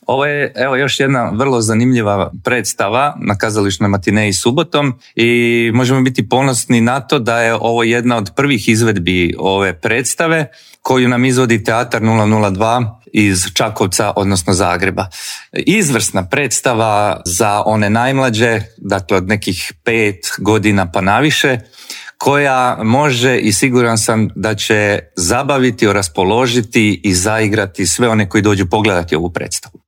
Ovo je još jedna vrlo zanimljiva predstava na kazališnoj matineji subotom i možemo biti ponosni na to da je ovo jedna od prvih izvedbi ove predstave koju nam izvodi Teatar 002 iz Čakovca, odnosno Zagreba. Izvrsna predstava za one najmlađe, dakle od nekih 5 godina pa naviše, koja može i siguran sam da će zabaviti, raspoložiti i zaigrati sve one koji dođu pogledati ovu predstavu.